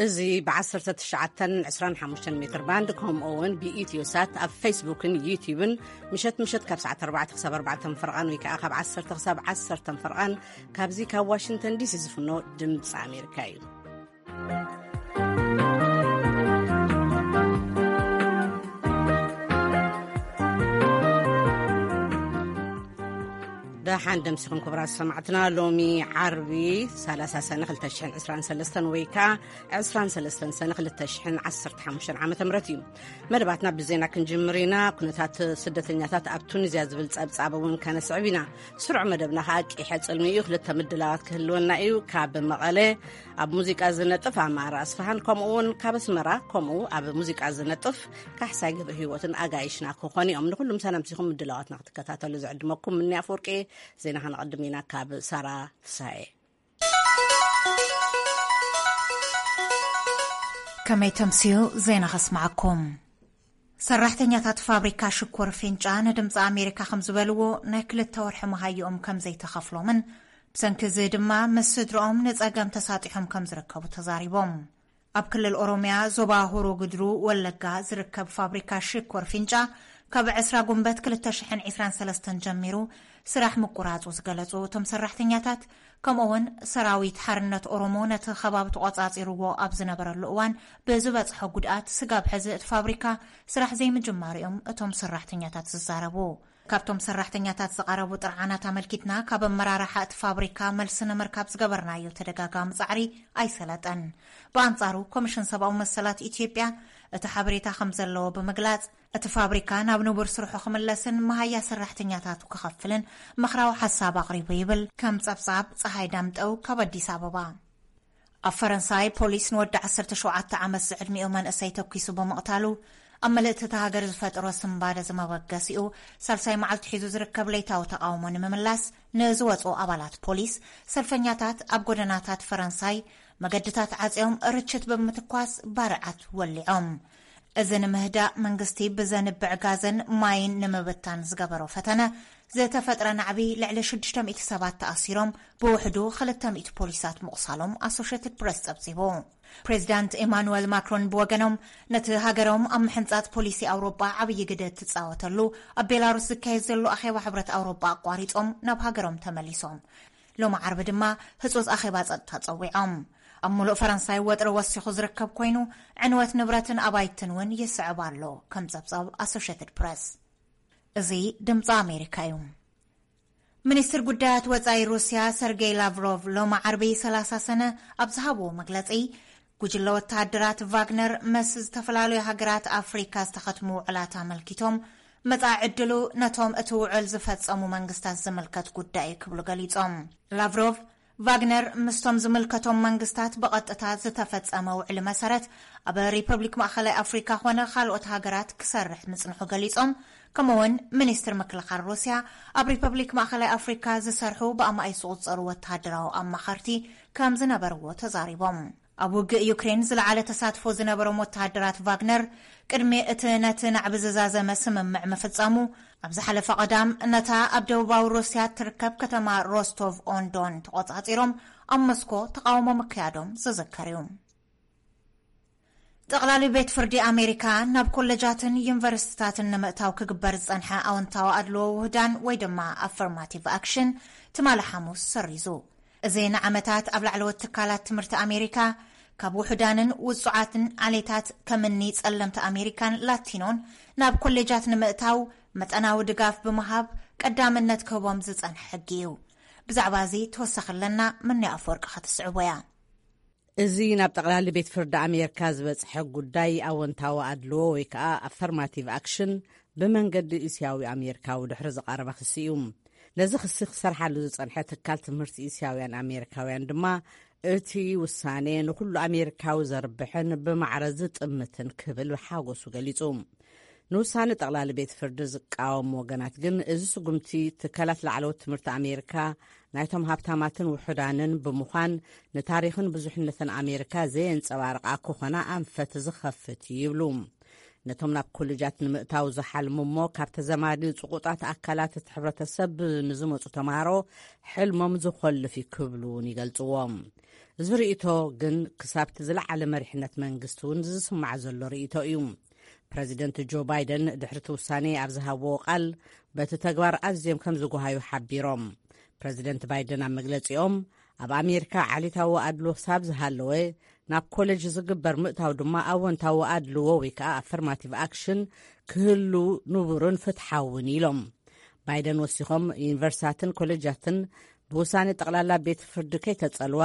እዚ ብ19 25 ሜትር ባንድ፣ ከምኡ እውን ብኢትዮ ሳት ኣብ ፌስቡክን ዩቲዩብን ምሸት ምሸት ካብ ሰዓት ኣርባዕተ ክሳብ ኣርባዕተ ፈርቓን ወይ ከዓ ካብ ዓሰርተ ክሳብ ዓሰርተ ፈርቓን ካብዚ ካብ ዋሽንግተን ዲሲ ዝፍኖ ድምፂ ኣሜሪካ እዩ። ደሓን ደምሲኹም ክቡራት ሰማዕትና። ሎሚ ዓርቢ ሰላሳ ሰነ ክልተ ሽሕን ዕስራን ሰለስተን ወይ ከዓ ዕስራን ሰለስተን ሰነ ክልተ ሽሕን ዓሰርተ ሓሙሽተን ዓመተ ምህረት እዩ። መደባትና ብዜና ክንጅምር ኢና። ኩነታት ስደተኛታት ኣብ ቱኒዝያ ዝብል ጸብጻብ እውን ከነስዕብ ኢና። ስሩዕ መደብና ከዓ ቂሐ ጽልሚ እዩ። ክልተ ምድላዋት ክህልወና እዩ። ካብ መቐለ ኣብ ሙዚቃ ዝነጥፍ ኣማራ ኣስፋሃን፣ ከምኡ እውን ካብ ኣስመራ ከምኡ ኣብ ሙዚቃ ዝነጥፍ ካሕሳይ ገብረ ህይወትን ኣጋይሽና ክኾኑ እዮም። ንኩሉ ምሳና ምሲኹም ምድላዋትና ክትከታተሉ ዝዕድመኩም ምኒ ኣፈወርቂ። ዜና ከነቐድም ኢና ካብ ሳራ ፍሳኤ። ከመይ ተምስዩ ዜና ከስማዓኩም። ሰራሕተኛታት ፋብሪካ ሽኮር ፊንጫ ንድምፂ ኣሜሪካ ከም ዝበልዎ፣ ናይ ክልተ ወርሒ መሃይኦም ከም ዘይተኸፍሎምን ብሰንኪ እዚ ድማ ምስ ስድርኦም ንፀገም ተሳጢሖም ከም ዝርከቡ ተዛሪቦም። ኣብ ክልል ኦሮሚያ ዞባ ሆሮ ጉድሩ ወለጋ ዝርከብ ፋብሪካ ሽኮር ፊንጫ ካብ ዕስራ ጉንበት ክልተ ሽሕን ዕስራን ሰለስተን ጀሚሩ ስራሕ ምቁራፁ ዝገለፁ እቶም ሰራሕተኛታት፣ ከምኡ እውን ሰራዊት ሓርነት ኦሮሞ ነቲ ከባቢ ተቆፃፂርዎ ኣብ ዝነበረሉ እዋን ብዝበፅሖ ጉድኣት ስጋብ ሕዚ እቲ ፋብሪካ ስራሕ ዘይምጅማሩ እዮም እቶም ሰራሕተኛታት ዝዛረቡ። ካብቶም ሰራሕተኛታት ዝቐረቡ ጥርዓናት ኣመልኪትና ካብ ኣመራርሓ እቲ ፋብሪካ መልሲ ንምርካብ ዝገበርናዮ ተደጋጋሚ ጻዕሪ ኣይሰለጠን። ብኣንጻሩ ኮሚሽን ሰብኣዊ መሰላት ኢትዮጵያ እቲ ሓበሬታ ከም ዘለዎ ብምግላጽ፣ እቲ ፋብሪካ ናብ ንቡር ስርሑ ክምለስን መሃያ ሰራሕተኛታቱ ክኸፍልን ምኽራዊ ሓሳብ ኣቕሪቡ ይብል። ከም ጸብጻብ ጸሃይ ዳምጠው ካብ ኣዲስ ኣበባ። ኣብ ፈረንሳይ ፖሊስ ንወዲ ዓሰርተ ሸውዓተ ዓመት ዝዕድሚኡ መንእሰይ ተኲሱ ብምቕታሉ፣ ኣብ ምልእቲ እታ ሃገር ዝፈጠሮ ስንባደ ዝመበገሲኡ፣ ሳልሳይ መዓልቲ ሒዙ ዝርከብ ለይታዊ ተቓውሞ ንምምላስ ንዝወፁ ኣባላት ፖሊስ፣ ሰልፈኛታት ኣብ ጎደናታት ፈረንሳይ መገድታት ዓፅዮም ርችት ብምትኳስ ባርዓት ወሊዖም። እዚ ንምህዳእ መንግስቲ ብዘንብዕ ጋዝን ማይን ንምብታን ዝገበሮ ፈተነ ዝተፈጥረ ናዕቢ፣ ልዕሊ ሽዱሽተ ሚእቲ ሰባት ተኣሲሮም፣ ብውሕዱ ክልተ ሚእቲ ፖሊሳት ምቑሳሎም ኣሶሼትድ ፕረስ ጸብጺቡ። ፕሬዚዳንት ኤማኑኤል ማክሮን ብወገኖም፣ ነቲ ሃገሮም ኣብ ምሕንጻጽ ፖሊሲ ኣውሮጳ ዓብዪ ግደ እትጻወተሉ ኣብ ቤላሩስ ዝካየድ ዘሎ ኣኼባ ሕብረት ኣውሮጳ ኣቋሪጾም ናብ ሃገሮም ተመሊሶም። ሎሚ ዓርቢ ድማ ህጹጽ ኣኼባ ጸጥታ ጸዊዖም። ኣብ ሙሉእ ፈረንሳይ ወጥሪ ወሲኹ ዝርከብ ኮይኑ፣ ዕንወት ንብረትን ኣባይትን እውን ይስዕብ ኣሎ፣ ከም ጸብጻብ ኣሶሼትድ ፕረስ። እዚ ድምፂ ኣሜሪካ እዩ። ሚኒስትር ጉዳያት ወጻኢ ሩስያ ሰርጌይ ላቭሮቭ ሎሚ ዓርቢ ሰላሳ ሰነ ኣብ ዝሃብዎ መግለጺ፣ ጉጅለ ወተሃደራት ቫግነር ምስ ዝተፈላለዩ ሃገራት ኣፍሪካ ዝተኸትሙ ውዕላት ኣመልኪቶም፣ መጻኢ ዕድሉ ነቶም እቲ ውዕል ዝፈጸሙ መንግስታት ዝምልከት ጉዳይ እዩ ክብሉ ገሊጾም። ላቭሮቭ፣ ቫግነር ምስቶም ዝምልከቶም መንግስታት ብቐጥታ ዝተፈጸመ ውዕሊ መሰረት፣ ኣብ ሪፐብሊክ ማእኸላይ ኣፍሪካ ኾነ ካልኦት ሃገራት ክሰርሕ ምጽንሑ ገሊጾም። ከምኡውን ሚኒስትር ምክልኻል ሩስያ፣ ኣብ ሪፐብሊክ ማእኸላይ ኣፍሪካ ዝሰርሑ ብኣማኢት ዝቑጸሩ ወተሃደራዊ ኣማኸርቲ ከም ዝነበርዎ ተዛሪቦም። ኣብ ውግእ ዩክሬን ዝለዓለ ተሳትፎ ዝነበሮም ወተሃደራት ቫግነር፣ ቅድሚ እቲ ነቲ ናዕቢ ዝዛዘመ ስምምዕ ምፍጻሙ፣ ኣብ ዝሓለፈ ቀዳም ነታ ኣብ ደቡባዊ ሩስያ እትርከብ ከተማ ሮስቶቭ ኦንዶን ተቖጻጺሮም ኣብ ሞስኮ ተቓውሞ ምክያዶም ዝዝከር እዩ። ጠቕላሊ ቤት ፍርዲ ኣሜሪካ ናብ ኮሌጃትን ዩኒቨርሲቲታትን ንምእታው ክግበር ዝጸንሐ ኣወንታዊ ኣድልዎ ውህዳን ወይ ድማ ኣፈርማቲቭ ኣክሽን ትማሊ ሓሙስ ሰሪዙ። እዚ ንዓመታት ኣብ ላዕለዎት ትካላት ትምህርቲ ኣሜሪካ ካብ ውሑዳንን ውጹዓትን ዓሌታት ከምኒ ጸለምቲ ኣሜሪካን ላቲኖን ናብ ኮሌጃት ንምእታው መጠናዊ ድጋፍ ብምሃብ ቀዳምነት ክህቦም ዝጸንሐ ሕጊ እዩ። ብዛዕባ እዚ ተወሳኺ ኣለና፣ ምንያ ኣፈወርቂ ከተስዕቦ እያ። እዚ ናብ ጠቕላሊ ቤት ፍርዲ ኣሜሪካ ዝበጽሐ ጉዳይ ኣወንታዊ ኣድልዎ ወይ ከዓ ኣፈርማቲቭ ኣክሽን ብመንገዲ እስያዊ ኣሜሪካዊ ድሕሪ ዝቐረበ ክሲ እዩ። ነዚ ክሲ ክሰርሓሉ ዝጸንሐ ትካል ትምህርቲ እስያውያን ኣሜሪካውያን ድማ፣ እቲ ውሳኔ ንኹሉ ኣሜሪካዊ ዘርብሕን ብማዕረ ዝጥምትን ክብል ሓጎሱ ገሊጹ። ንውሳነ ጠቕላሊ ቤት ፍርዲ ዝቃወሙ ወገናት ግን፣ እዚ ስጉምቲ ትካላት ላዕለዎት ትምህርቲ ኣሜሪካ ናይቶም ሃብታማትን ውሑዳንን ብምዃን፣ ንታሪኽን ብዙሕነትን ኣሜሪካ ዘየንጸባርቓ ክኾና ኣንፈት ዝኸፍት እዩ ይብሉ። ነቶም ናብ ኮሌጃት ንምእታው ዝሓልሙ እሞ ካብ ተዘማዲ ጽቑጣት ኣካላት እቲ ሕብረተሰብ ንዝመጹ ተምሃሮ ሕልሞም ዝኾልፍ እዩ ክብሉ እውን ይገልጽዎ። እዚ ርእይቶ ግን ክሳብቲ ዝለዓለ መሪሕነት መንግስቲ እውን ዝስማዕ ዘሎ ርእይቶ እዩ። ፕረዚደንት ጆ ባይደን ድሕሪ እቲ ውሳኔ ኣብ ዝሃብዎ ቃል፣ በቲ ተግባር ኣዝዮም ከም ዝጓሃዩ ሓቢሮም። ፕረዚደንት ባይደን ኣብ መግለጺኦም፣ ኣብ ኣሜሪካ ዓሌታዊ ኣድሎ ክሳብ ዝሃለወ፣ ናብ ኮሌጅ ዝግበር ምእታው ድማ ኣወንታዊ ኣድልዎ ወይ ከኣ ኣፈርማቲቭ ኣክሽን ክህሉ ንቡርን ፍትሓውን ኢሎም። ባይደን ወሲኾም፣ ዩኒቨርሲታትን ኮሌጃትን ብውሳኔ ጠቕላላ ቤት ፍርዲ ከይተጸልዋ፣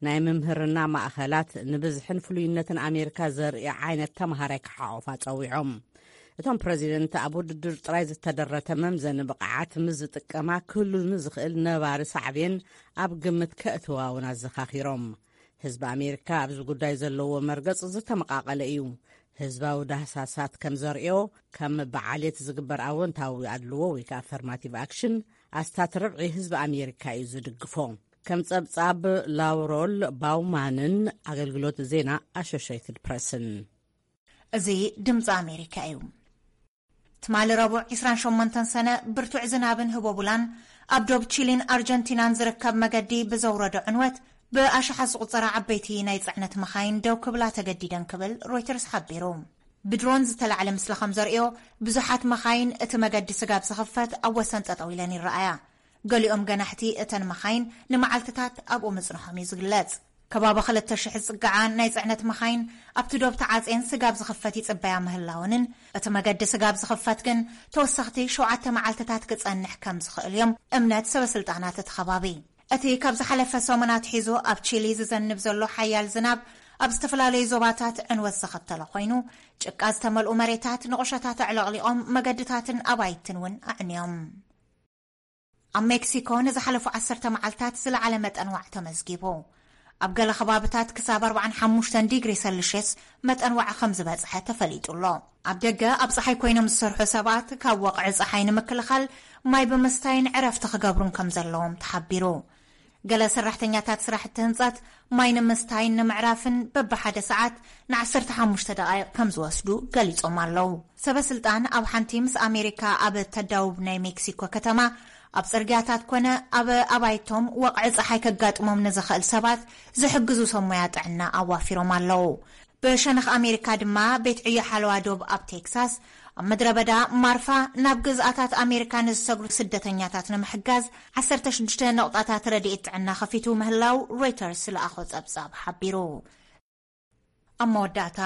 ናይ ምምህርና ማእኸላት ንብዝሕን ፍሉይነትን ኣሜሪካ ዘርኢ ዓይነት ተምሃራይ ክሓቑፋ ጸዊዖም። እቶም ፕረዚደንት ኣብ ውድድር ጥራይ ዝተደረተ መምዘኒ ብቕዓት ምስ ዝጥቀማ ክህሉ ንዝኽእል ነባሪ ሳዕቤን ኣብ ግምት ከእትዋ እውን ኣዘኻኺሮም። ህዝቢ ኣሜሪካ ኣብዚ ጉዳይ ዘለዎ መርገጽ ዝተመቓቐለ እዩ። ህዝባዊ ዳህሳሳት ከም ዘርእዮ፣ ከም ብዓሌት ዝግበር ኣወንታዊ ኣድልዎ ወይ ከኣ ኣፈርማቲቭ ኣክሽን ኣስታት ርብዒ ህዝቢ ኣሜሪካ እዩ ዝድግፎ። ከም ጸብጻብ ላውሮል ባውማንን ኣገልግሎት ዜና ኣሶሽየትድ ፕረስን። እዚ ድምፂ ኣሜሪካ እዩ። ትማሊ ረቡዕ ዒስራን ሸሞንተን ሰነ ብርቱዕ ዝናብን ህቦቡላን ኣብ ዶብ ቺሊን ኣርጀንቲናን ዝርከብ መገዲ ብዘውረዶ ዕንወት ብኣሽሓት ዝቑጸራ ዓበይቲ ናይ ጽዕነት መኻይን ደው ክብላ ተገዲደን ክብል ሮይተርስ ሓቢሩ። ብድሮን ዝተላዕለ ምስሊ ከም ዘርእዮ ብዙሓት መኻይን እቲ መገዲ ስጋብ ዝኽፈት ኣብ ወሰን ጠጠው ኢለን ይረኣያ። ገሊኦም ገናሕቲ እተን መኻይን ንመዓልትታት ኣብኡ ምጽንሖም እዩ ዝግለጽ። ከባቢ ክልተ ሽሕ ዝጽግዓ ናይ ጽዕነት መኻይን ኣብቲ ዶብ ተዓጽየን ስጋብ ዝኽፈት ይጽበያ ምህላወንን፣ እቲ መገዲ ስጋብ ዝኽፈት ግን ተወሰኽቲ ሸውዓተ መዓልትታት ክጸንሕ ከም ዝኽእል እዮም እምነት ሰበስልጣናት እቲ ከባቢ። እቲ ካብ ዝሓለፈ ሰሙን ኣትሒዙ ኣብ ቺሊ ዝዘንብ ዘሎ ሓያል ዝናብ ኣብ ዝተፈላለዩ ዞባታት ዕንወት ዘኸተለ ኮይኑ፣ ጭቃ ዝተመልኡ መሬታት ንቑሸታት ኣዕለቕሊቖም መገድታትን ኣባይትን እውን ኣዕንዮም። ኣብ ሜክሲኮ ንዝሓለፉ ዓሰርተ መዓልታት ዝለዓለ መጠን ዋዕ ተመዝጊቡ። ኣብ ገለ ከባብታት ክሳብ ኣርባዓን ሓሙሽተን ዲግሪ ሰልሽየስ መጠን ዋዕ ከም ዝበጽሐ ተፈሊጡ ኣሎ። ኣብ ደገ ኣብ ጸሓይ ኮይኖም ዝሰርሑ ሰባት ካብ ወቕዒ ጸሓይ ንምክልኻል ማይ ብምስታይን ዕረፍቲ ክገብሩን ከም ዘለዎም ተሓቢሩ። ገለ ሰራሕተኛታት ስራሕቲ ህንጸት ማይ ንምስታይን ንምዕራፍን በብሓደ ሰዓት ንዓሰርተ ሓሙሽተ ደቓይቕ ከም ዝወስዱ ገሊጾም ኣለዉ። ሰበ ስልጣን ኣብ ሓንቲ ምስ ኣሜሪካ ኣብ ተዳውብ ናይ ሜክሲኮ ከተማ ኣብ ጽርግያታት ኮነ ኣብ ኣባይቶም ወቕዒ ጸሓይ ከጋጥሞም ንዝኽእል ሰባት ዝሕግዙ ሰብ ሞያ ጥዕና ኣዋፊሮም ኣለዉ። ብሸነኽ ኣሜሪካ ድማ ቤት ዕዮ ሓለዋ ዶብ ኣብ ቴክሳስ ኣብ ምድረ በዳ ማርፋ ናብ ግዝኣታት ኣሜሪካ ንዝሰግሩ ስደተኛታት ንምሕጋዝ ዓሰርተ ሽዱሽተ ነቑጣታት ረድኤት ጥዕና ከፊቱ ምህላው ሮይተርስ ዝለኣኾ ጸብጻብ ሓቢሩ። ኣብ መወዳእታ፣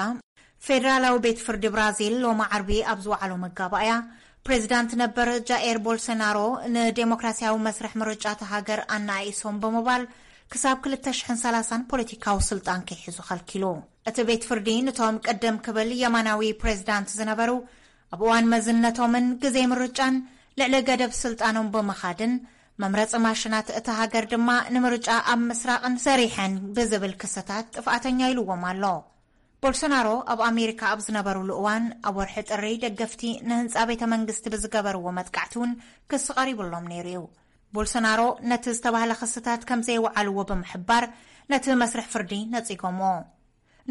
ፌደራላዊ ቤት ፍርዲ ብራዚል ሎሚ ዓርቢ ኣብ ዝወዓሎ መጋባእያ፣ ፕሬዚዳንት ነበር ጃኤር ቦልሶናሮ ንዴሞክራሲያዊ መስርሕ ምርጫ እታ ሃገር ኣናኣኢሶም ብምባል ክሳብ ክልተ ሽሕን ሰላሳን ፖለቲካዊ ስልጣን ከይሕዙ ከልኪሉ። እቲ ቤት ፍርዲ ንቶም ቅድም ክብል የማናዊ ፕሬዚዳንት ዝነበሩ ኣብ እዋን መዝነቶምን ግዜ ምርጫን ልዕሊ ገደብ ስልጣኖም ብምኻድን መምረፂ ማሽናት እታ ሃገር ድማ ንምርጫ ኣብ ምስራቕን ሰሪሐን ብዝብል ክስታት ጥፍኣተኛ ኢልዎም ኣሎ። ቦልሶናሮ ኣብ ኣሜሪካ ኣብ ዝነበሩሉ እዋን ኣብ ወርሒ ጥሪ ደገፍቲ ንህንፃ ቤተ መንግስቲ ብዝገበርዎ መጥቃዕቲ እውን ክሲ ቀሪብሎም ነይሩ እዩ። ቦልሶናሮ ነቲ ዝተባህለ ክስታት ከም ዘይወዓልዎ ብምሕባር ነቲ መስርሕ ፍርዲ ነጺጎምዎ።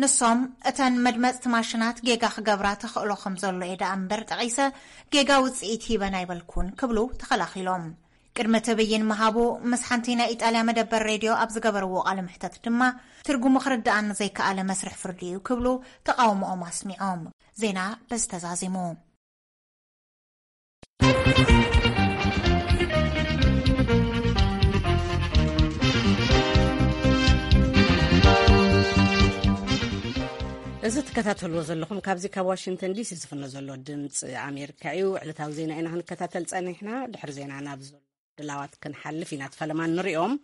ንሶም እተን መድመጽቲ ማሽናት ጌጋ ክገብራ ተኽእሎ ከም ዘሎ እየ ደኣ እምበር ጠቒሰ ጌጋ ውጽኢት ሂበን ኣይበልኩን ክብሉ ተኸላኺሎም። ቅድሚ እቲ ብይን ምሃቡ ምስ ሓንቲ ናይ ኢጣልያ መደበር ሬድዮ ኣብ ዝገበርዎ ቃለ መሕተት ድማ ትርጉሙ ክርድኣኒ ዘይከኣለ መስርሕ ፍርዲ እዩ ክብሉ ተቓውሞኦም ኣስሚዖም። ዜና በዚ ተዛዚሙ። እዚ ትከታተልዎ ዘለኹም ካብዚ ካብ ዋሽንግተን ዲሲ ዝፍኖ ዘሎ ድምፂ ኣሜሪካ እዩ። ዕለታዊ ዜና ኢና ክንከታተል ጸኒሕና። ድሕሪ ዜና ናብ ዘሎ ድላዋት ክንሓልፍ ኢና። ፈለማ ንሪኦም።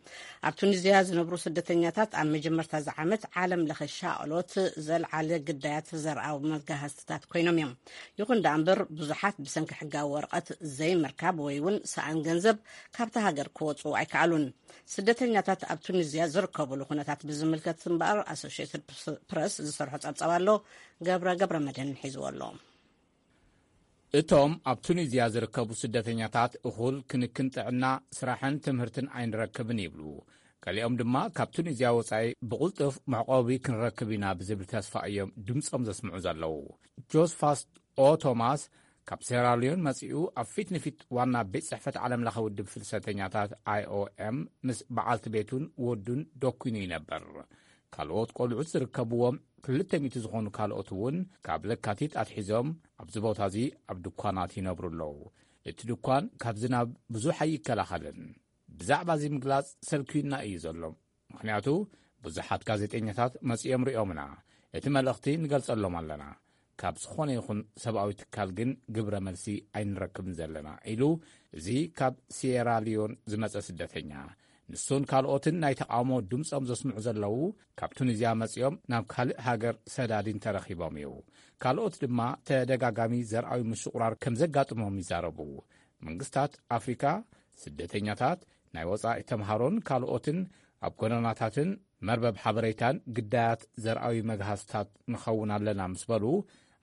ኣብ ቱኒዝያ ዝነብሩ ስደተኛታት ኣብ መጀመርታ እዚ ዓመት ዓለም ለኸ ሻቕሎት ዘልዓለ ግዳያት ዘርኣዊ መጋህዝትታት ኮይኖም እዮም። ይኹን ደኣ እምበር ብዙሓት ብሰንኪ ሕጋዊ ወረቐት ዘይምርካብ ወይ እውን ሰኣን ገንዘብ ካብታ ሃገር ክወፁ ኣይከኣሉን። ስደተኛታት ኣብ ቱኒዝያ ዝርከብሉ ኩነታት ብዝምልከት እምበኣር ኣሶሽየትድ ፕረስ ዝሰርሖ ጸብጻብ ኣሎ። ገብረ ገብረ መድህን ሒዝዎ ኣሎ። እቶም ኣብ ቱኒዝያ ዝርከቡ ስደተኛታት እኹል ክንክን ጥዕና፣ ስራሕን ትምህርትን ኣይንረክብን ይብሉ። ገሊኦም ድማ ካብ ቱኒዝያ ወጻኢ ብቕልጡፍ መዕቆቢ ክንረክብ ኢና ብዝብል ተስፋ እዮም ድምጾም ዘስምዑ ዘለዉ። ጆስፋስ ኦ ቶማስ ካብ ሴራሊዮን መጺኡ ኣብ ፊት ንፊት ዋና ቤት ጽሕፈት ዓለምለኸ ውድብ ፍልሰተኛታት ኣይ ኦ ኤም ምስ በዓልቲ ቤቱን ወዱን ደኲኑ ይነብር። ካልኦት ቆልዑት ዝርከብዎም ክልተ ሚእቲ ዝኾኑ ካልኦት እውን ካብ ለካቲት ኣትሒዞም ኣብዚ ቦታ እዚ ኣብ ድኳናት ይነብሩ ኣለዉ። እቲ ድኳን ካብ ዝናብ ብዙሕ ኣይከላኸልን። ብዛዕባ እዚ ምግላጽ ሰልክዩና እዩ ዘሎ። ምኽንያቱ ብዙሓት ጋዜጠኛታት መጺኦም ሪኦምና። እቲ መልእኽቲ ንገልጸሎም ኣለና። ካብ ዝኾነ ይኹን ሰብኣዊ ትካል ግን ግብረ መልሲ ኣይንረክብን ዘለና ኢሉ እዚ ካብ ሲየራ ሊዮን ዝመጸ ስደተኛ። ንሱን ካልኦትን ናይ ተቃውሞ ድምጾም ዘስምዑ ዘለዉ ካብ ቱኒዝያ መጺኦም ናብ ካልእ ሃገር ሰዳዲን ተረኺቦም እዩ። ካልኦት ድማ ተደጋጋሚ ዘርኣዊ ምሽቑራር ከም ዘጋጥሞም ይዛረቡ። መንግስታት ኣፍሪካ ስደተኛታት፣ ናይ ወጻኢ ተምሃሮን ካልኦትን ኣብ ጎደናታትን መርበብ ሓበሬታን ግዳያት ዘርኣዊ መግሃስታት ንኸውን ኣለና ምስ በሉ፣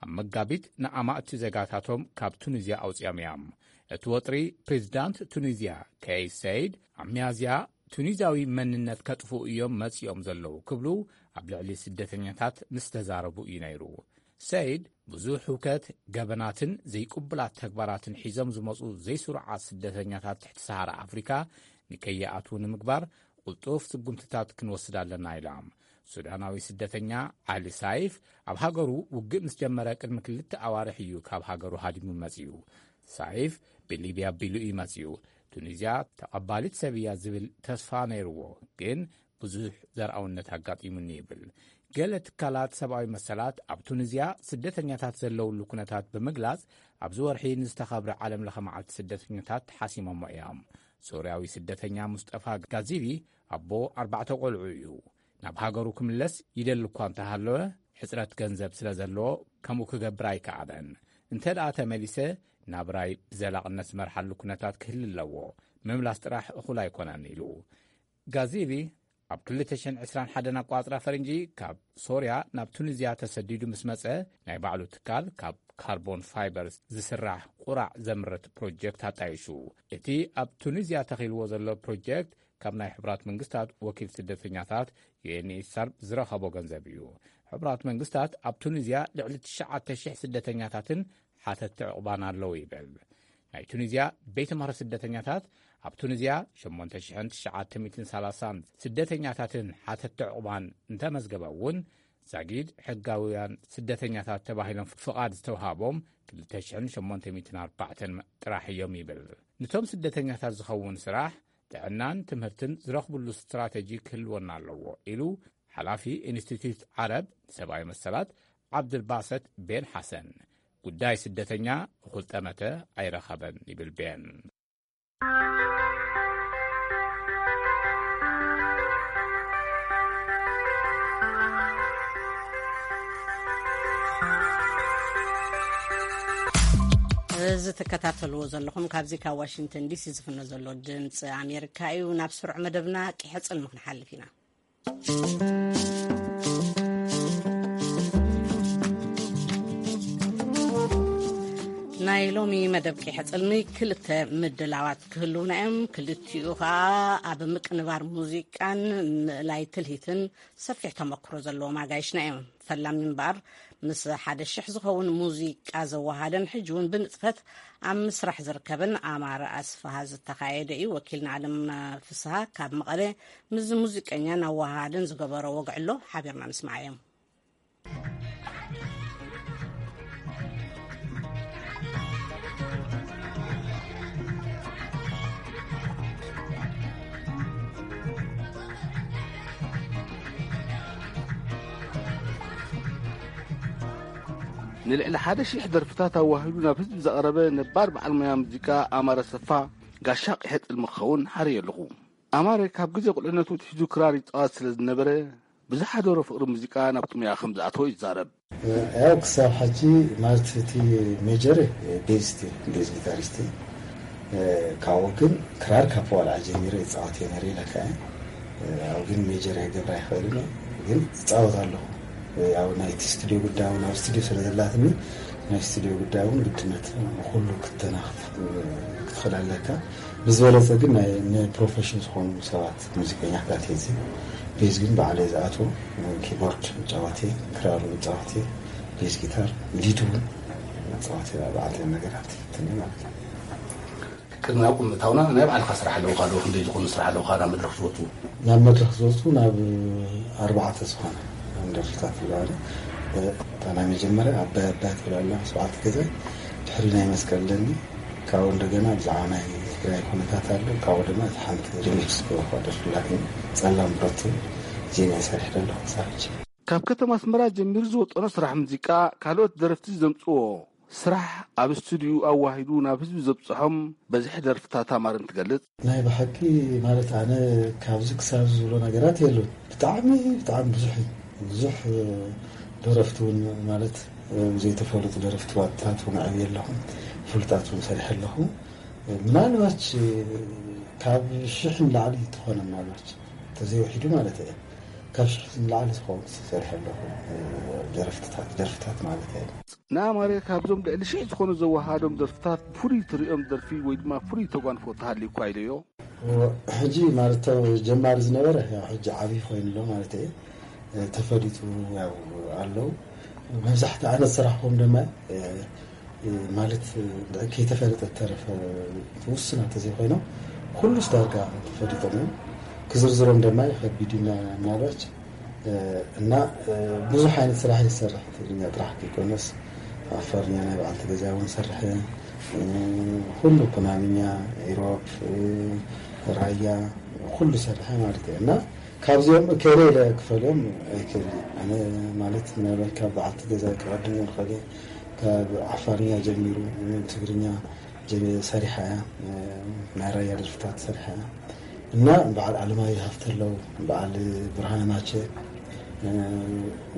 ኣብ መጋቢት ንኣማእቲ ዜጋታቶም ካብ ቱኒዝያ ኣውጺኦም እዮም። እቲ ወጥሪ ፕሬዚዳንት ቱኒዝያ ከይስ ሰይድ ኣብ ሚያዝያ ቱኒዝያዊ መንነት ከጥፍኡ እዮም መጺኦም ዘለዉ ክብሉ ኣብ ልዕሊ ስደተኛታት ምስ ተዛረቡ እዩ ነይሩ። ሰይድ ብዙሕ ህውከት፣ ገበናትን ዘይቅቡላት ተግባራትን ሒዞም ዝመጹ ዘይስሩዓት ስደተኛታት ትሕቲ ሰሃራ ኣፍሪካ ንከይኣትዉ ንምግባር ቅልጡፍ ስጉምትታት ክንወስድ ኣለና ኢሎም። ሱዳናዊ ስደተኛ ዓሊ ሳይፍ ኣብ ሃገሩ ውግእ ምስ ጀመረ ቅድሚ ክልተ ኣዋርሕ እዩ ካብ ሃገሩ ሃዲሙ መጺኡ። ሳይፍ ብሊብያ ኣቢሉ እዩ መጺኡ። ቱኒዝያ ተቐባሊት ሰብ እያ ዝብል ተስፋ ነይርዎ፣ ግን ብዙሕ ዘርኣውነት ኣጋጢሙኒ ይብል። ገለ ትካላት ሰብኣዊ መሰላት ኣብ ቱኒዝያ ስደተኛታት ዘለውሉ ኩነታት ብምግላጽ ኣብዚ ወርሒ ንዝተኸብረ ዓለም ለኸ መዓልቲ ስደተኛታት ሓሲሞሞ እዮም። ሶርያዊ ስደተኛ ሙስጠፋ ጋዚቢ ኣቦ ኣርባዕተ ቆልዑ እዩ። ናብ ሃገሩ ክምለስ ይደሊ እኳ እንተሃለወ፣ ሕጽረት ገንዘብ ስለ ዘለዎ ከምኡ ክገብር ኣይከኣለን። እንተ ደኣ ተመሊሰ፣ ናብራይ ብዘላቕነት ዝመርሓሉ ኩነታት ክህሊ ኣለዎ። ምምላስ ጥራሕ እኹል ኣይኮነን ኢሉ። ጋዚቢ ኣብ ክልተ ሽሕን ዕስራን ሓደን ኣቋጽራ ፈረንጂ ካብ ሶርያ ናብ ቱኒዝያ ተሰዲዱ ምስ መጸ፣ ናይ ባዕሉ ትካል ካብ ካርቦን ፋይበር ዝስራሕ ቁራዕ ዘምርት ፕሮጀክት ኣጣይሹ። እቲ ኣብ ቱኒዝያ ተኺልዎ ዘሎ ፕሮጀክት ካብ ናይ ሕቡራት መንግስታት ወኪል ስደተኛታት ዩ ኤን ኤች ሲ ኣር ዝረኸቦ ገንዘብ እዩ። ሕቡራት መንግስታት ኣብ ቱኒዝያ ልዕሊ ትሽዓተ ሽሕ ስደተኛታትን ሓተትቲ ዕቑባን ኣለዉ ይብል። ናይ ቱኒዝያ ቤት ምኽሪ ስደተኛታት ኣብ ቱኒዝያ ሸሞንተ ሽሕን ትሽዓተ ሚእትን ሰላሳን ስደተኛታትን ሓተትቲ ዕቑባን እንተመዝገበ እውን፣ ዛጊድ ሕጋውያን ስደተኛታት ተባሂሎም ፍቓድ ዝተውሃቦም ክልተ ሽሕን ሸሞንተ ሚእትን ኣርባዕተን ጥራሕ እዮም ይብል። ንቶም ስደተኛታት ዝኸውን ስራሕ፣ ጥዕናን ትምህርትን ዝረኽብሉ ስትራተጂ ክህልወና ኣለዎ ኢሉ ሓላፊ ኢንስቲትዩት ዓረብ ሰብኣዊ መሰላት ዓብድልባሰት ቤን ሓሰን። ጉዳይ ስደተኛ እኹል ጠመተ ኣይረኸበን ይብል ቤን። እዚ ትከታተልዎ ዘለኹም ካብዚ ካብ ዋሽንግተን ዲሲ ዝፍኖ ዘሎ ድምፂ ኣሜሪካ እዩ። ናብ ስሩዕ መደብና ቂሐ ጽልሚ ክንሓልፍ ኢና። ናይ ሎሚ መደብ ቂሐ ጽልሚ ክልተ ምድላዋት ክህልውና እዮም። ክልቲኡ ኸኣ ኣብ ምቅንባር ሙዚቃን ምእላይ ትልሂትን ሰፊሕ ተመክሮ ዘለዎም ኣጋይሽና እዮም። ፈላሚ እምበኣር ምስ ሓደ ሽሕ ዝኸውን ሙዚቃ ዘወሃደን ሕጂ እውን ብንጥፈት ኣብ ምስራሕ ዝርከብን ኣማረ ኣስፍሃ ዝተኻየደ እዩ። ወኪልና ኣለም ፍስሃ ካብ መቐለ ምስዚ ሙዚቀኛን ኣወሃሃድን ዝገበሮ ወግዕሎ ሓቢርና ንስማዓዮም። ንልዕሊ ሓደ ሺሕ ደርፍታት ኣዋሂዱ ናብ ህዝቢ ዘቕረበ ነባር በዓል ሞያ ሙዚቃ ኣማረ ኣሰፋ፣ ጋሻ ቂሐ ጽልሚ ክኸውን ሓርየ ኣለኹ። ኣማረ ካብ ግዜ ቁልዕነቱ ኣትሒዙ ክራር ይጻወት ስለ ዝነበረ፣ ብዝሓደሮ ፍቕሪ ሙዚቃ ናብቲ ሞያ ከም ዝኣተወ ይዛረብ። ያው ክሳብ ሕጂ ማለት እቲ ሜጀር ቤዚስት፣ ቤዝ ጊታሪስት፣ ካብኡ ግን ክራር ካብ ዋልዓ ጀሚረ ይጻወት እየ ነይረ ኢለካ እየ። ያው ግን ሜጀር ክገብር ኣይኽእልን እየ፣ ግን እጻወት ኣለኹ። ያው ናይቲ ስቱድዮ ጉዳይ እውን ኣብ ስቱድዮ ስለ ዘላትኒ ናይ ስቱድዮ ጉዳይ እውን ግድነት ኩሉ ክተናኽፍ ክትኽእል ኣለካ። ብዝበለፀ ግን ናይ ንፕሮፌሽን ዝኾኑ ሰባት ሙዚቀኛታት እዚ ቤዝ ግን ባዕለ ዝኣትዎ ኪቦርድ መጫወቲ፣ ክራር መጫወቲ፣ ቤዝ ጊታር፣ ሊድ እውን መጫወቲ፣ ባዕለ ነገራት ትኒ ማለት እዩ። ቅድሚ ናብ ቁምታውና ናይ ባዕልካ ስራሕ ኣለውካ ዶ? ክንደይ ዝኾኑ ስራሕ ኣለውካ ናብ መድረክ ዝወፁ? ናብ መድረክ ዝወፁ ናብ ኣርባዕተ ዝኾነ ደርፍታት ኣለዋለ። እታ ናይ መጀመርያ ኣባይ ኣባይ ትብል ኣላ፣ ስብዓት ገዛይ፣ ድሕሪ ናይ መስቀል ደኒ፣ ካብኡ እንደገና ብዛዕባ ናይ ትግራይ ኩነታት ኣሎ፣ ካብኡ ድማ እቲ ሓንቲ ሪሚክስ ገበርኳ ደርፊ ኣላትኒ፣ ጸላም ብረት ትብል፣ እዚኣ እየ ሰሪሐ ዘለኹ ክሳብ ሕጂ። ካብ ከተማ ኣስመራ ጀሚሩ ዝወጠኖ ስራሕ ሙዚቃ ካልኦት ደረፍቲ ዘምፅዎ ስራሕ ኣብ ስቱድዩኡ ኣዋሂዱ ናብ ህዝቢ ዘብፅሖም በዝሒ ደርፍታት ኣማርን ትገልፅ። ናይ ብሓቂ ማለት ኣነ ካብዚ ክሳብ ዝብሎ ነገራት የሉን። ብጣዕሚ ብጣዕሚ ብዙሕ እዩ። ብዙሕ ደረፍቲ እውን ማለት ዘይተፈለጡ ደረፍቲ ዋጥታት እውን ዓብየ ኣለኹ። ፍሉጣት እውን ሰሪሐ ኣለኹ። ምናልባች ካብ ሽሕ ንላዕሊ ትኾነ ምናልባች ተዘይውሒዱ ማለት እየ። ካብ ሽሕ ንላዕሊ ዝኸውን ሰሪሐ ኣለኹ ደረፍትታት ደርፍታት ማለት እየ። ንኣማረ ካብዞም ልዕሊ ሽሕ ዝኾኑ ዘወሃሃዶም ደርፍታት ብፍሉይ ትርእዮም ደርፊ ወይ ድማ ፍሉይ ተጓንፎ ተሃልዩኳ ኢለዮ። ሕጂ ማለት ጀማሪ ዝነበረ ያው ሕጂ ዓብዪ ኮይኑ ኣሎ ማለት እየ። ተፈሊጡ ያው ኣለዉ። መብዛሕቲ ኣነ ዝሰራሕኩም ድማ ማለት ከይተፈለጠ ተረፈ ውስናት ተዘይኮይኖም ኩሉስ ዳርጋ ተፈሊጦም እዮም። ክዝርዝሮም ድማ ከቢድ እዩ ምናልባች እና ብዙሕ ዓይነት ስራሕ ይሰርሕ። ትግርኛ ጥራሕ ከይኮነስ ዓፋርኛ ናይ በዓልቲ ገዛ እውን ሰርሐ፣ ኩሉ ኩናምኛ፣ ኢሮብ፣ ራያ ኩሉ ሰርሐ ማለት እዩ እና ካብዚኦም እከለ ኢለ ክፈልዮም ኣይክእልን። ኣነ ማለት ምናልባት ካብ በዓልቲ ገዛ ክቐድም ይኽእል እየ። ካብ ዓፋርኛ ጀሚሩ ትግርኛ ጀሚ- ሰሪሓ እያ። ናይ ራያ ደርፍታት ሰሪሓ እያ እና በዓል ኣለማየሁ ሃፍተ ኣለዉ፣ በዓል ብርሃነ ማቸ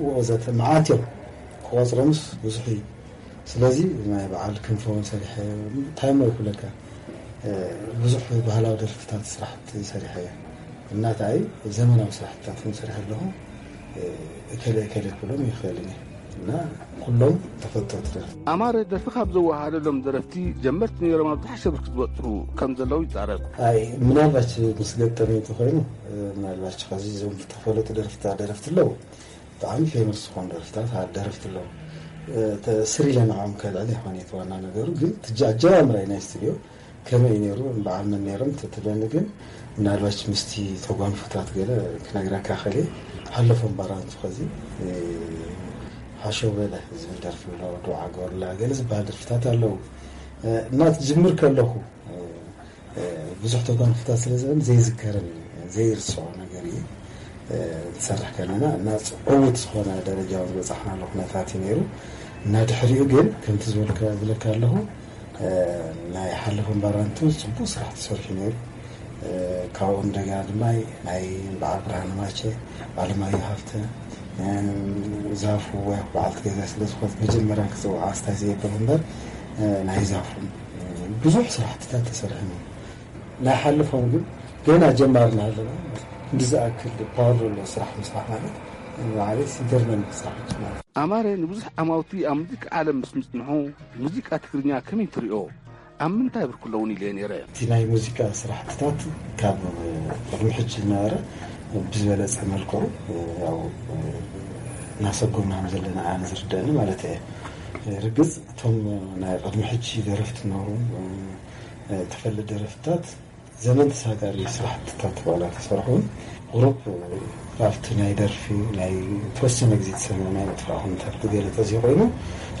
ወዘተ መዓት እዮም። ክቆፅሮምስ ብዙሕ እዩ። ስለዚ ናይ በዓል ክንፈ እውን ሰሪሐ እንታይ እሞ ይኩለካ ብዙሕ ባህላዊ ደርፍታት ስራሕቲ ሰሪሐ እየ እና እንታይ ዘመናዊ ስራሕትታት እውን ሰሪሐ ኣለኹ። እከለ እከለ ክብሎም ይኽእል እየ እና ኩሎም ተፈተውቲ ደረፍቲ። ኣማረ ደርፊ ካብ ዘወሃደሎም ደረፍቲ ጀመርቲ ነይሮም ኣብ ዝሓሸ ብርኪ ዝበፅሑ ከም ዘለዉ ይዛረብ። ኣይ ምናልባት ምስ ገጠመ እንተኾይኑ ምናልባት ከዚ እዞም ዝተፈለጡ ደረፍታ ደረፍቲ ኣለዉ ብጣዕሚ ፌመስ ዝኾኑ ደረፍታት ደረፍቲ ኣለዉ። ስሪለ ንዕኦም ከልዕል ይኾን እቲ ዋና ነገሩ ግን ትጃ ኣጀማምራይ ናይ ስቱድዮ ከመይ ነይሩ በዓል መን ነይሮም ትትለኒ ግን ምናልባች ምስቲ ተጓንፎታት ገለ ክነግረካ ከለ ሓለፎም ባራንቱ ከዚ ሓሸው በለ ዝብል ደርፊ ኣሎ ዱዓ ገበሩላ ገለ ዝበሃል ደርፍታት ኣለዉ እና ትጅምር ከለኹ ብዙሕ ተጓንፎታት ስለ ዝበን ዘይዝከርን እዩ ዘይርስዖ ነገር እዩ ትሰርሕ ከለና እና ዕውት ዝኾነ ደረጃ ዝበፃሕናሉ ኩነታት እዩ ነይሩ እና ድሕሪኡ ግን ከምቲ ዝበልካ ዝብለካ ኣለኹ ናይ ሓለፎም ባራንቱ ፅቡቅ ስራሕ ተሰሪሑ ነይሩ። ካብኡ እንደገና ድማ ናይ በዓል ብርሃነ ማቸ፣ ኣለማየሁ ሃፍተ፣ ዛፉ ወይ በዓልቲ ገዛ ስለ ዝኾነት መጀመርያ ክፅውዓ ስታይ ዘየበሉ እምበር ናይ ዛፉ ብዙሕ ስራሕትታት ተሰሪሑ ነይሩ። ናይ ሓለፎም ግን ገና ጀማርና ኣለና። እንዲ ዝኣክል ፓወር ዘለዎ ስራሕ ምስራሕ ማለት ማለት ይገርመኒ ስራሕ ማለት ኣማረ ንብዙሕ ዓማውቲ ኣብ ሙዚቃ ዓለም ምስ ምጽንሑ ሙዚቃ ትግርኛ ከመይ ትሪኦ? ኣብ ምንታይ ብርኪ ኣለውን ኢለ ነይረ። እቲ ናይ ሙዚቃ ስራሕትታት ካብ ቅድሚ ሕጂ ዝነበረ ብዝበለፀ መልክዑ ያው እናሰጎምና ዘለና ኣነ ዝርደአኒ ማለት እየ። ርግፅ እቶም ናይ ቅድሚ ሕጂ ደረፍቲ ነበሩ ተፈለጥ ደረፍትታት ዘመን ተሳጋሪ ስራሕትታት ዋላ ተሰርሑ ቁሩብ ካብቲ ናይ ደርፊ ናይ ተወሰነ ግዜ ዝሰምዑ ናይ ምጥፋእ ኩነታት ብገለ ተዘይኮይኑ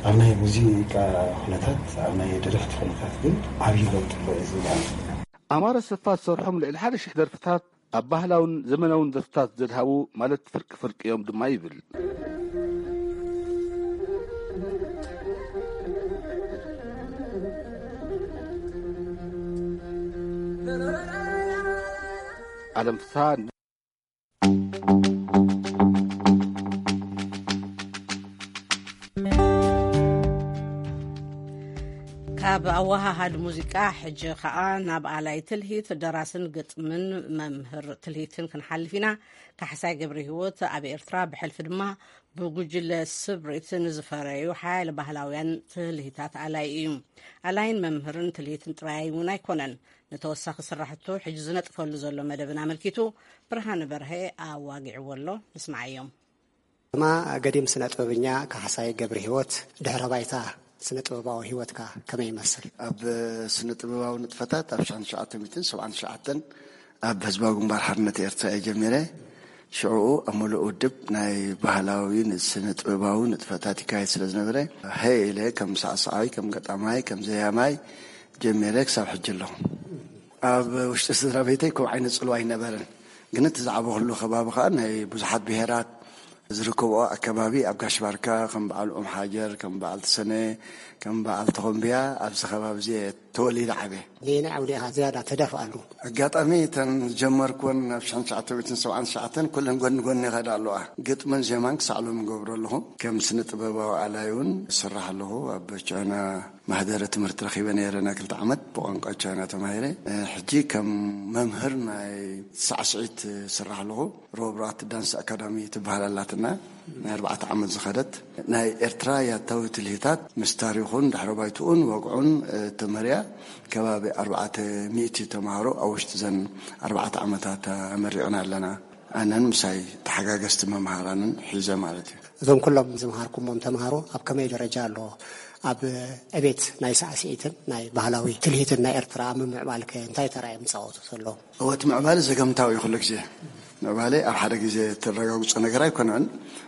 ኣብ ናይ ሙዚቃ ኩነታት ኣብ ናይ ደረፍቲ ኩነታት ግን ዓብዪ ለውጢ ኣሎ እዩ ዝብል። ኣማረ ሰፋ ዝሰርሖም ልዕሊ ሓደ ሽሕ ደርፍታት ኣብ ባህላውን ዘመናውን ደርፍታት ዘድሃቡ ማለት ፍርቂ ፍርቂ እዮም ድማ ይብል። ዓለም ፍስሃ ካብ ኣወሃሃድ ሙዚቃ ሕጂ ኸኣ ናብ ኣላይ ትልሂት፣ ደራስን ግጥምን መምህር ትልሂትን ክንሓልፍ ኢና። ካሕሳይ ገብረ ህይወት ኣብ ኤርትራ፣ ብሕልፊ ድማ ብጉጅለ ስብሪት ንዝፈረዩ ሓያለ ባህላውያን ትልሂታት ኣላይ እዩ። ኣላይን መምህርን ትልሂትን ጥራይ እውን ኣይኮነን። ንተወሳኺ ስራሕቱ ሕጂ ዝነጥፈሉ ዘሎ መደብን ኣመልኪቱ ብርሃነ በርሀ ኣዋጊዕዎ ኣሎ። ንስምዓዮም። ድማ ገዲም ስነ ጥበበኛ ካሕሳይ ገብረ ህይወት፣ ድሕረ ባይታ ስነ ጥበባዊ ህይወትካ ከመይ ይመስል? ኣብ ስነ ጥበባዊ ንጥፈታት ኣብ ሽሕን ትሽዓተ ሚእትን ሰብዓን ትሽዓተን ኣብ ህዝባዊ ግንባር ሓርነት ኤርትራ እየ ጀሚረ። ሽዕኡ ኣብ ምሉእ ውድብ ናይ ባህላዊ ስነ ጥበባዊ ንጥፈታት ይካየድ ስለ ዝነበረ፣ ሀ ኢለ ከም ሳዕሳዓይ፣ ከም ገጣማይ፣ ከም ዘያማይ ጀሚረ ክሳብ ሕጂ ኣለኹ። ኣብ ውሽጢ ስድራ ቤተይ ከምኡ ዓይነት ጽልዋ ኣይነበረን። ግን እቲ ዝዓበኹሉ ከባቢ ከኣ ናይ ብዙሓት ብሄራት ዝርከብኦ ኣከባቢ፣ ኣብ ጋሽ ባርካ ከም በዓል ኦም ሓጀር፣ ከም በዓል ተሰነ፣ ከም በዓል ተኾምብያ ኣብዚ ከባቢ እዚ እየ ተወሊደ ዓብየ። ነየናይ ዓውዲ ኢኻ ዝያዳ ተደፍኣሉ? ኣጋጣሚ እተን ዝጀመርኩወን ኣብ ሽሕን ትሽዓተ ሚእትን ሰብዓን ትሽዓተን ኩለን ጎኒ ጎኒ ይኸዳ ኣለዋ። ግጥምን ዜማን ክሳዕ ሎሚ እገብሮ ኣለኹ። ከም ስነ ጥበባዊ ኣላይ እውን እሰርሕ ኣለኹ። ኣብ ቻይና ማህደረ ትምህርቲ ረኺበ ነይረ፣ ናይ ክልተ ዓመት ብቋንቋ ቻይና ተማሂረ። ሕጂ ከም መምህር ናይ ሳዕስዒት እሰርሕ ኣለኹ። ሮብራት ዳንስ ኣካዳሚ ትበሃል ኣላትና፣ ናይ ኣርባዕተ ዓመት ዝኸደት። ናይ ኤርትራ ያታዊ ትልሂታት ምስ ታሪኹን ድሕረ ባይትኡን ወግዑን፣ እ፣ ተመርያ ከባቢ ኣርባዕተ ሚእቲ ተምሃሮ ኣብ ውሽጢ ዘን ኣርባዕተ ዓመታት ኣመሪቕና ኣለና። ኣነን ምሳይ ተሓጋገዝቲ መምሃራንን ሒዘ ማለት እዩ። እዞም ኩሎም ዝምሃርኩሞም ተምሃሮ ኣብ ከመይ ደረጃ ኣለዎ? ኣብ ዕቤት ናይ ሳዕስዒትን ናይ ባህላዊ ትልሂትን ናይ ኤርትራ ኣብ ምምዕባልከ እንታይ ተራ እዮም ዝጻወቱ ዘለዉ? እወ፣ እቲ ምዕባለ ዘገምታዊ እዩ። ኩሉ ግዜ ምዕባለ ኣብ ሓደ ግዜ እተረጋግጾ ነገር ኣይኮነን።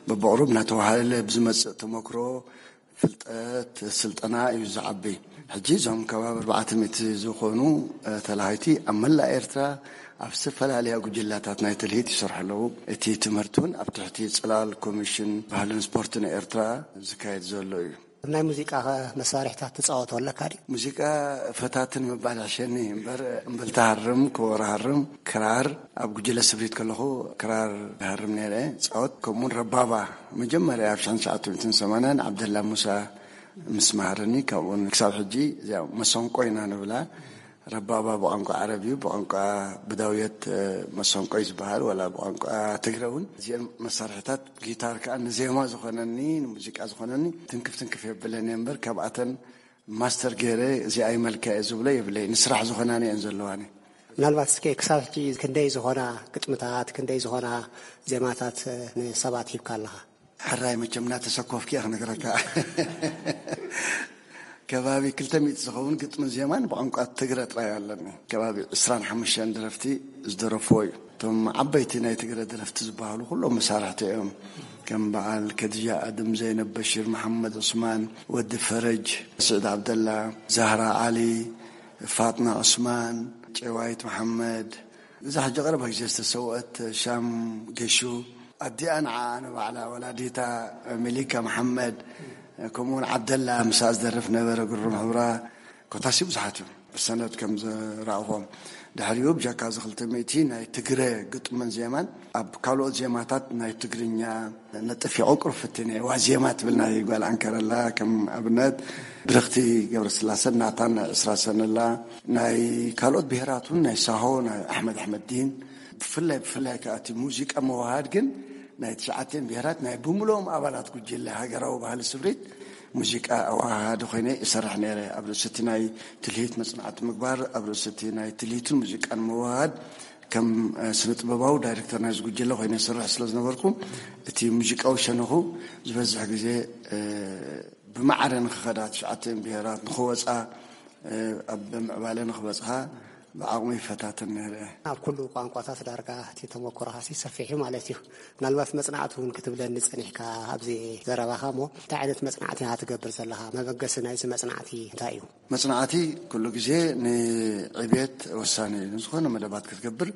በብቕሩብ እናተዋሃለለ ብዝመጽእ ተመክሮ፣ ፍልጠት፣ ስልጠና እዩ ዝዓቢ። ሕጂ እዞም ከባቢ ኣርባዕተ ሚእቲ ዝኾኑ፣ እ፣ ተላሃይቲ ኣብ መላእ ኤርትራ ኣብ ዝተፈላለያ ጉጅላታት ናይ ትልሂት ይሰርሑ ኣለዉ። እቲ ትምህርቲ እውን ኣብ ትሕቲ ጽላል ኮሚሽን ባህልን ስፖርትን ኤርትራ ዝካየድ ዘሎ እዩ። ናይ ሙዚቃ ኸ መሳርሕታት ትጻወቶ ኣለካ ድዩ? ሙዚቃ ፈታትን ምባል ይሕሸኒ እምበር፣ እምብልታ ሃርም፣ ከበሮ ሃርም፣ ክራር፣ ኣብ ጉጅለ ስብሪት ከለኹ ክራር ሃርም ነይረ፣ ጻወት። ከምኡውን ረባባ መጀመርያ ኣብ ሽሕን ትሽዓተ ሚእትን ሰማንያን ዓብደላ ሙሳ ምስ መሃረኒ፣ ካብኡን ክሳብ ሕጂ እዚኣ መሰንቆ ኢና ንብላ። ረባባ ብቋንቋ ዓረብ እዩ፣ ብቋንቋ ብዳውየት፣ እ፣ መሰንቆ እዩ ዝበሃል፣ ወላ ብቋንቋ ትግረ እውን። እዚአን መሳርሕታት፣ ጊታር ከኣ ንዜማ ዝኾነኒ፣ ንሙዚቃ ዝኾነኒ ትንክፍ ትንክፍ የብለን እየ እምበር፣ ካብኣተን ማስተር ገይረ እዚኣ ይመልካ እየ ዝብሎ የብለይ። ንስራሕ ዝኾናኒ እየን ዘለዋኒ። ምናልባት እስከ ክሳብ ሕጂ ክንደይ ዝኾና ግጥምታት፣ ክንደይ ዝኾና ዜማታት፣ እ፣ ንሰባት ሂብካ ኣለኻ? ሕራይ መቸም እናተሰኮፍኪ እየ ክነግረካ። ከባቢ ክልተ ሚእቲ ዝኸውን ግጥምን ዜማን ብቋንቋ ትግረ ጥራይ ኣለኒ። ከባቢ ዕስራን ሓሙሽተን ደረፍቲ ዝደረፍዎ እዩ። እቶም ዓበይቲ ናይ ትግረ ደረፍቲ ዝበሃሉ ኩሎም መሳርሕቲ እዮም። ከም በዓል ከድጃ ኣድም፣ ዘይነብ በሺር፣ መሓመድ ዑስማን፣ ወዲ ፈረጅ፣ ስዒድ ዓብደላ፣ ዛህራ ዓሊ፣ ፋጥና ዑስማን፣ ጨዋይት መሓመድ፣ እዛ ሕጂ ቀረባ ግዜ ዝተሰውአት ሻም ገሹ፣ ኣዲኣ ንዓ ንባዕላ ወላዲታ ሚሊካ መሓመድ፣ ከምኡውን ዓብደላ ምሳኣ ዝደርፍ ነበረ፣ ግሩም ሕብራ፣ ኮታሲ ብዙሓት እዮም ብሰነድ ከም ዝረኣኹዎም። ድሕሪኡ ብጀካ እዚ ክልተ ሚእቲ ናይ ትግረ ግጥምን ዜማን ኣብ ካልኦት ዜማታት ናይ ትግርኛ ነጥፍ የቐቅሩ ፍትን እየ። ዋዜማ ትብል ናይ ጓል ኣንከረላ ከም ኣብነት፣ ብርኽቲ ገብረስላሰን ናታን ናይ ዕስራ ሰነላ፣ ናይ ካልኦት ብሄራት እውን ናይ ሳሆ፣ ናይ ኣሕመድ ኣሕመድዲን፣ ብፍላይ ብፍላይ ከኣ እቲ ሙዚቃ መወሃድ ግን ናይ ትሽዓተን ብሄራት ናይ ብምልኦም ኣባላት ጉጅለ ሃገራዊ ባህሊ ስብሪት ሙዚቃ ኣወሃሃዲ ኮይነ ይሰርሕ ነይረ። ኣብ ርእሲ እቲ ናይ ትልሂት መጽናዕቲ ምግባር፣ ኣብ ርእሲ እቲ ናይ ትልሂትን ሙዚቃን መወሃድ ከም፣ እ፣ ስነ ጥበባዊ ዳይሬክተር ናይዚ ጉጅለ ኮይነ ይሰርሕ ስለ ዝነበርኩ፣ እቲ ሙዚቃዊ ሸነኹ ዝበዝሕ ግዜ፣ እ፣ ብማዕረ ንኽኸዳ፣ ትሽዓተን ብሄራት ንኽወጻ፣ እ፣ ኣብ ምዕባለ ንኽበጽሓ ብዓቕሚ ይፈታተን ነይረ። ኣብ ኩሉ ቋንቋታት ዳርጋ እቲ ተመክሮኻሲ ሰፊሕ እዩ ማለት እዩ። ምናልባት መጽናዕቲ እውን ክትብለኒ ጸኒሕካ ኣብዚ ዘረባኻ እሞ፣ እንታይ ዓይነት መጽናዕቲ ኢኻ ትገብር ዘለኻ? መበገሲ ናይዚ መጽናዕቲ እንታይ እዩ? መጽናዕቲ ኩሉ ግዜ ንዕብየት ወሳኒ እዩ። ንዝኾነ መደባት ክትገብር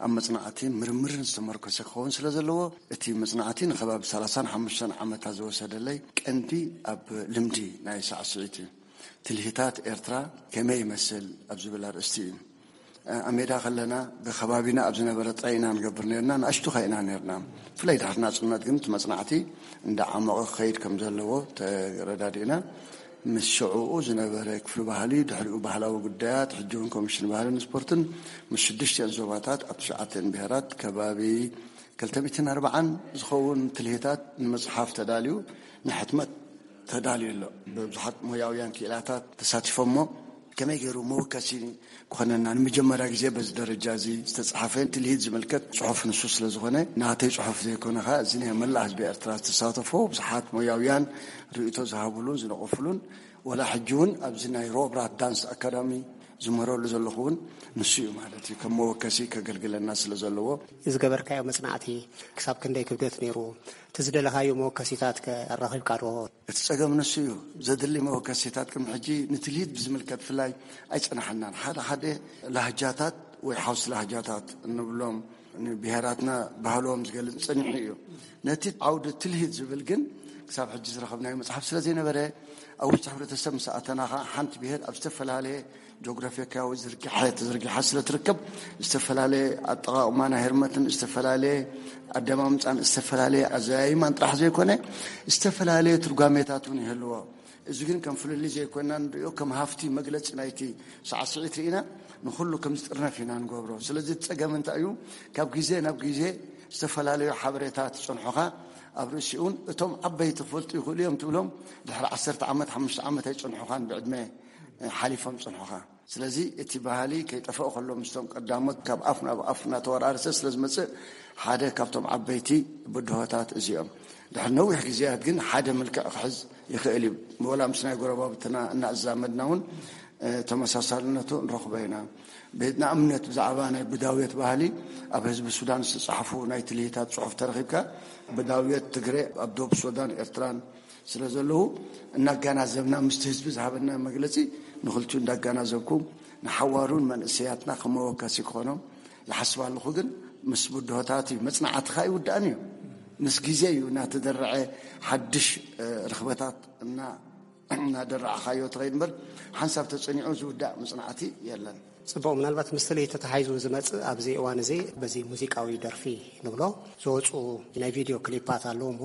ኣብ መጽናዕቲ ምርምርን ዝተመርኮሰ ክኸውን ስለ ዘለዎ፣ እቲ መጽናዕቲ ንከባቢ ሰላሳን ሓሙሽተን ዓመታት ዝወሰደለይ ቀንዲ ኣብ ልምዲ ናይ ሳዕስዒት እዩ። ትልሂታት ኤርትራ ከመይ ይመስል ኣብ ዝብል ኣርእስቲ እዩ። ኣብ ሜዳ ከለና ብከባቢና ኣብ ዝነበረ ጥራይ ኢና ንገብር ነርና፣ ንኣሽቱ ከ ኢና ነርና። ብፍላይ ድሕሪ ናጽነት ግን እቲ መጽናዕቲ እንዳዓመቐ ክኸይድ ከም ዘለዎ ተረዳዲእና። ምስ ሽዕኡ ዝነበረ ክፍሊ ባህሊ፣ ድሕሪኡ ባህላዊ ጉዳያት፣ ሕጂ እውን ኮሚሽን ባህልን ስፖርትን፣ ምስ ሽዱሽቲኦን ዞባታት ኣብ ትሽዓተን ብሄራት ከባቢ ክልተ ሚእትን ኣርባዓን ዝኸውን ትልሂታት ንመጽሓፍ ተዳልዩ ንሕትመት ተዳልዩ ኣሎ። ብብዙሓት ሞያውያን ክኢላታት ተሳቲፎሞ፣ ከመይ ገይሩ መወከሲ ክኾነና፣ ንመጀመርያ ግዜ በዚ ደረጃ እዚ ዝተጻሕፈ ትልሂት ዝምልከት ጽሑፍ ንሱ ስለ ዝኾነ፣ ናተይ ጽሑፍ ዘይኮነ ኸኣ፣ እዚ ናይ መላእ ህዝቢ ኤርትራ ዝተሳተፎ ብዙሓት ሞያውያን ርእይቶ ዝሃብሉን ዝነቐፍሉን፣ ወላ ሕጂ እውን ኣብዚ ናይ ሮብራት ዳንስ ኣካዳሚ ዝምህረሉ ዘለኹ እውን ንሱ እዩ ማለት እዩ፣ ከም መወከሲ ከገልግለና ስለ ዘለዎ። ዝገበርካዮ መጽናዕቲ ክሳብ ክንደይ ክብደት ነይሩ? እቲ ዝደለኻዮ መወከሲታት ከ ኣራኺብካ ዶ? እቲ ጸገም ንሱ እዩ። ዘድሊ መወከሲታት ቅድሚ ሕጂ ንትልሂት ብዝምልከት ብፍላይ ኣይጸናሓናን። ሓደ ሓደ ላህጃታት ወይ ሓውሲ ላህጃታት እንብሎም ንብሄራትና ባህሎም ዝገልጽ ጸኒሑ እዩ። ነቲ ዓውዲ ትልሂት ዝብል ግን ክሳብ ሕጂ ዝረኸብናዮ መጽሓፍ ስለ ዘይነበረ፣ ኣብ ውሽጢ ሕብረተሰብ ምስ ኣተና ኸኣ ሓንቲ ብሄር ኣብ ዝተፈላለየ ጂኦግራፊካዊ ዝርግሐ ተዘርጊሓ ስለ ትርከብ፣ ዝተፈላለየ ኣጠቓቕማ ናይ ህርመትን ዝተፈላለየ ኣደማምጻን ዝተፈላለየ ኣዘያይማን ጥራሕ ዘይኮነ፣ ዝተፈላለየ ትርጓሜታት እውን ይህልዎ። እዚ ግን ከም ፍልልይ ዘይኮንና ንሪኦ፣ ከም ሃፍቲ መግለጺ ናይቲ ሳዕስዒት ርኢና ንኹሉ ከም ዝጥርነፍ ኢና ንገብሮ። ስለዚ እቲ ጸገም እንታይ እዩ? ካብ ግዜ ናብ ግዜ ዝተፈላለዩ ሓበሬታት ይጸንሑኻ፣ ኣብ ርእሲኡን እቶም ዓበይቲ ክፈልጡ ይኽእሉ እዮም ትብሎም፣ ድሕሪ ዓሰርተ ዓመት፣ ሓሙሽተ ዓመት ኣይጸንሑኻን፣ ብዕድመ ሓሊፎም ጸንሑኻ። ስለዚ እቲ ባህሊ ከይጠፍኦ ከሎ ምስቶም ቀዳሞት ካብ ኣፍ ናብ ኣፍ እናተወራረሰ ስለ ዝመጽእ ሓደ ካብቶም ዓበይቲ ብድሆታት እዚኦም። ድሕሪ ነዊሕ ግዜያት ግን ሓደ መልክዕ ክሕዝ ይኽእል እዩ። ወላ ምስ ናይ ጎረባብትና እናኣዛመድና እውን፣ እ፣ ተመሳሳልነቱ ንረኽቦ ኢና። ብ-፣ ንኣብነት ብዛዕባ ናይ ብዳውየት ባህሊ ኣብ ህዝቢ ሱዳን ዝተጻሕፉ ናይ ትልሂታት ጽሑፍ ተረኺብካ፣ ብዳውየት ትግሬ ኣብ ዶብ ሱዳን ኤርትራን ስለ ዘለዉ እናጋናዘብና ምስቲ ህዝቢ ዝሃበና መግለጺ ንኽልቲኡ እንዳጋናዘብኩ ንሓዋሩን መንእሰያትና ከመወከሲ ክኾኖም ይሓስብ ኣለኹ። ግን ምስ ብድሆታት እዩ፣ መጽናዕትኻ ኣይውዳእን እዩ። ምስ ግዜ እዩ እናተደረዐ ሓድሽ፣ እ፣ ርኽበታት እና-፣ እናደረዕኻዮ ትኸይድ እምበር ሓንሳብ ተጸኒዑ ዝውዳእ መጽናዕቲ የለን። ጽቡቕ፣ ምናልባት ምስ ትልሂት ተተሓሒዙ ዝመጽእ ኣብዚ እዋን እዚ በዚ ሙዚቃዊ ደርፊ ንብሎ ዝወጹ ናይ ቪድዮ ክሊፓት ኣለዉ እሞ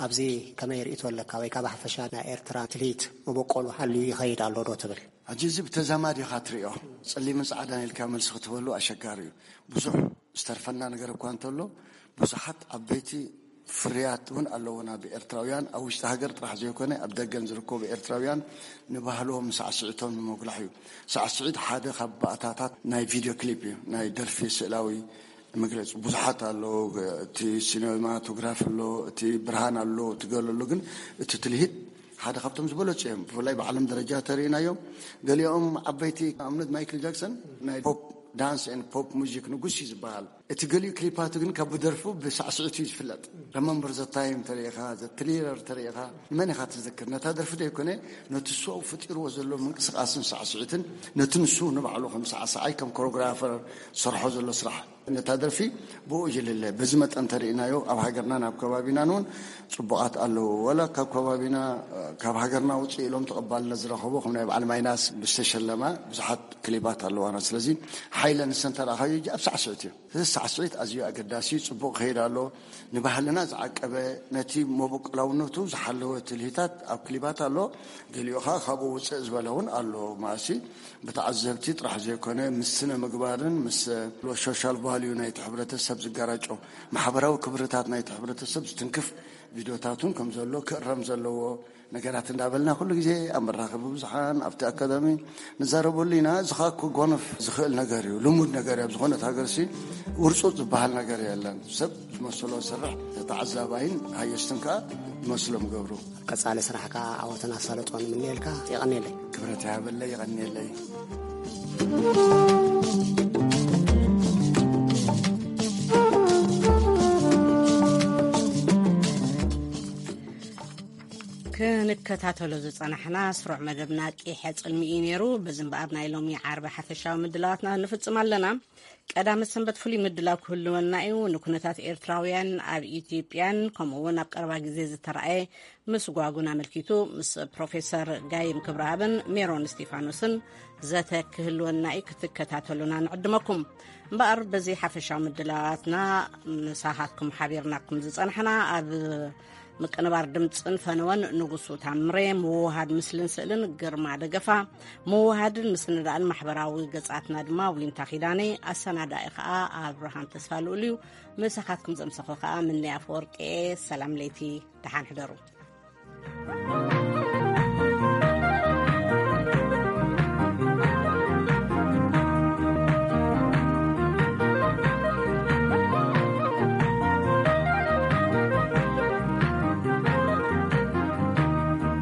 ኣብዚ ከመይ ርእይቶ ኣለካ? ወይ ካብ ሓፈሻ ናይ ኤርትራ ትልሂት መበቆሉ ሓልዩ ይኸይድ ኣሎ ዶ ትብል? ሕጂ እዚ ብተዛማዲ ኢኻ ትርእዮ። ጸሊምን ጻዕዳን ኢልካ መልሲ ክትበሉ ኣሸጋሪ እዩ። ብዙሕ ዝተርፈና ነገር እኳ እንተሎ፣ ብዙሓት ዓበይቲ ፍርያት እውን ኣለዉና ብኤርትራውያን፣ ኣብ ውሽጢ ሃገር ጥራሕ ዘይኮነ ኣብ ደገን ዝርከቡ ኤርትራውያን ንባህሎም ሳዕስዒቶም ንምጉላሕ እዩ። ሳዕስዒት ሓደ ካብ ባእታታት ናይ ቪድዮ ክሊፕ እዩ፣ ናይ ደርፊ ስእላዊ መግለጺ ብዙሓት ኣለዉ። እቲ ሲኔማቶግራፍ ኣሎ፣ እቲ ብርሃን ኣሎ፣ እቲ ገለ ኣሎ። ግን እቲ ትልሂት ሓደ ካብቶም ዝበለጹ እዮም። ብፍላይ ብዓለም ደረጃ ተርእናዮም። ገሊኦም ዓበይቲ ኣብነት ማይክል ጃክሰን ናይ ፖፕ ዳንስ ኤንድ ፖፕ ሙዚክ ንጉስ እዩ ዝበሃል። እቲ ገሊኡ ክሊፓቱ ግን ካብ ብደርፉ ብሳዕስዒቱ እዩ ዝፍለጥ። ረመምበር ዘ ታይም ተሪኢኻ፣ ዘ ትሪለር ተሪኢኻ፣ ንመን ኢኻ ትዝክር? ነታ ደርፊ ዘይኮነ፣ ነቲ እሱ ኣብኡ ፈጢርዎ ዘሎ ምንቅስቓስን ሳዕስዒትን፣ ነቲ ንሱ ንባዕሉ ከም ሳዕሳዓይ፣ ከም ኮሪዮግራፈር ዝሰርሖ ዘሎ ስራሕ፣ ነታ ደርፊ ብኡ ይልለ። በዚ መጠን ተሪእናዮ፣ ኣብ ሃገርናን ኣብ ከባቢናን እውን ጽቡቓት ኣለዉ። ዋላ ካብ ከባቢና፣ ካብ ሃገርና ውጽእ ኢሎም ተቐባልነት ዝረኸቡ፣ ከም ናይ በዓል ማይናስ ዝተሸለማ ብዙሓት ክሊባት ኣለዋና። ስለዚ ሓይለ ንሰን ተረኣኻዮ፣ እጂ ኣብ ሳዕስዒት እዩ። እዚ ሳዕስዒት ኣዝዩ ኣገዳሲ፣ ጽቡቕ ክኸይድ ኣሎ። ንባህልና ዝዓቀበ፣ ነቲ መበቆላውነቱ ዝሓለወ ትልሂታት ኣብ ክሊባት ኣሎ። ገሊኡ ኸኣ ካብኡ ውጽእ ዝበለ እውን ኣሎ። ማእሲ ብተዓዘብቲ ጥራሕ ዘይኮነ፣ ምስ ስነ ምግባርን ምስ ሶሻል ቫልዩ ናይቲ ሕብረተሰብ ዝጋራጮ፣ ማሕበራዊ ክብርታት ናይቲ ሕብረተሰብ ዝትንክፍ ቪድዮታት እውን ከም ዘሎ ክእረም ዘለዎ ነገራት እንዳበልና ኩሉ ግዜ ኣብ መራኸቢ ብዙሓን ኣብቲ ኣካዳሚ ንዛረበሉ ኢና። እዚ ኸኣ ክጓነፍ ዝኽእል ነገር እዩ፣ ልሙድ ነገር እዩ። ኣብ ዝኾነት ሃገርሲ ውርጹጽ ዝበሃል ነገር የለን። ሰብ ዝመስሎ ዝሰርሕ፣ ተዓዛባይን ሃየስትን ከኣ ዝመስሎም ገብሩ። ቀጻሊ ስራሕካ ዓወትን ኣሳልጦን ንምነየልካ። የቐንየለይ። ክብረት ይሃበለይ፣ የቐንየለይ። ክንከታተሎ ዝጸናሕና ስሩዕ መደብና ቂሐ ጽልሚ እዩ ነይሩ። በዚ እምበኣር ናይ ሎሚ ዓርቢ ሓፈሻዊ ምድላዋትና ንፍጽም ኣለና። ቀዳመ ሰንበት ፍሉይ ምድላው ክህልወና እዩ። ንኩነታት ኤርትራውያን ኣብ ኢትዮጵያን ከምኡ እውን ኣብ ቀረባ ግዜ ዝተራእየ ምስጓጉን ኣመልኪቱ ምስ ፕሮፌሰር ጋይም ክብረኣብን ሜሮን እስቲፋኖስን ዘተ ክህልወና እዩ። ክትከታተሉና ንዕድመኩም። እምበኣር በዚ ሓፈሻዊ ምድላዋትና ምሳኻትኩም ሓቢርናኩም ዝጸናሕና ኣብ ምቅንባር ድምፅን ፈነወን ንጉሱ ታምሬ፣ ምውሃድ ምስልን ስእልን ግርማ ደገፋ፣ ምውሃድን ምስንዳእን ማሕበራዊ ገጻትና ድማ ዊንታ ኪዳኔ፣ ኣሰናዳኢ ከዓ ኣብርሃም ተስፋ ልኡል እዩ። ምሳኻትኩም ዘምሰኹ ከዓ ምንያ ኣፈወርቂ። ሰላም ለይቲ፣ ደሓን ሕደሩ።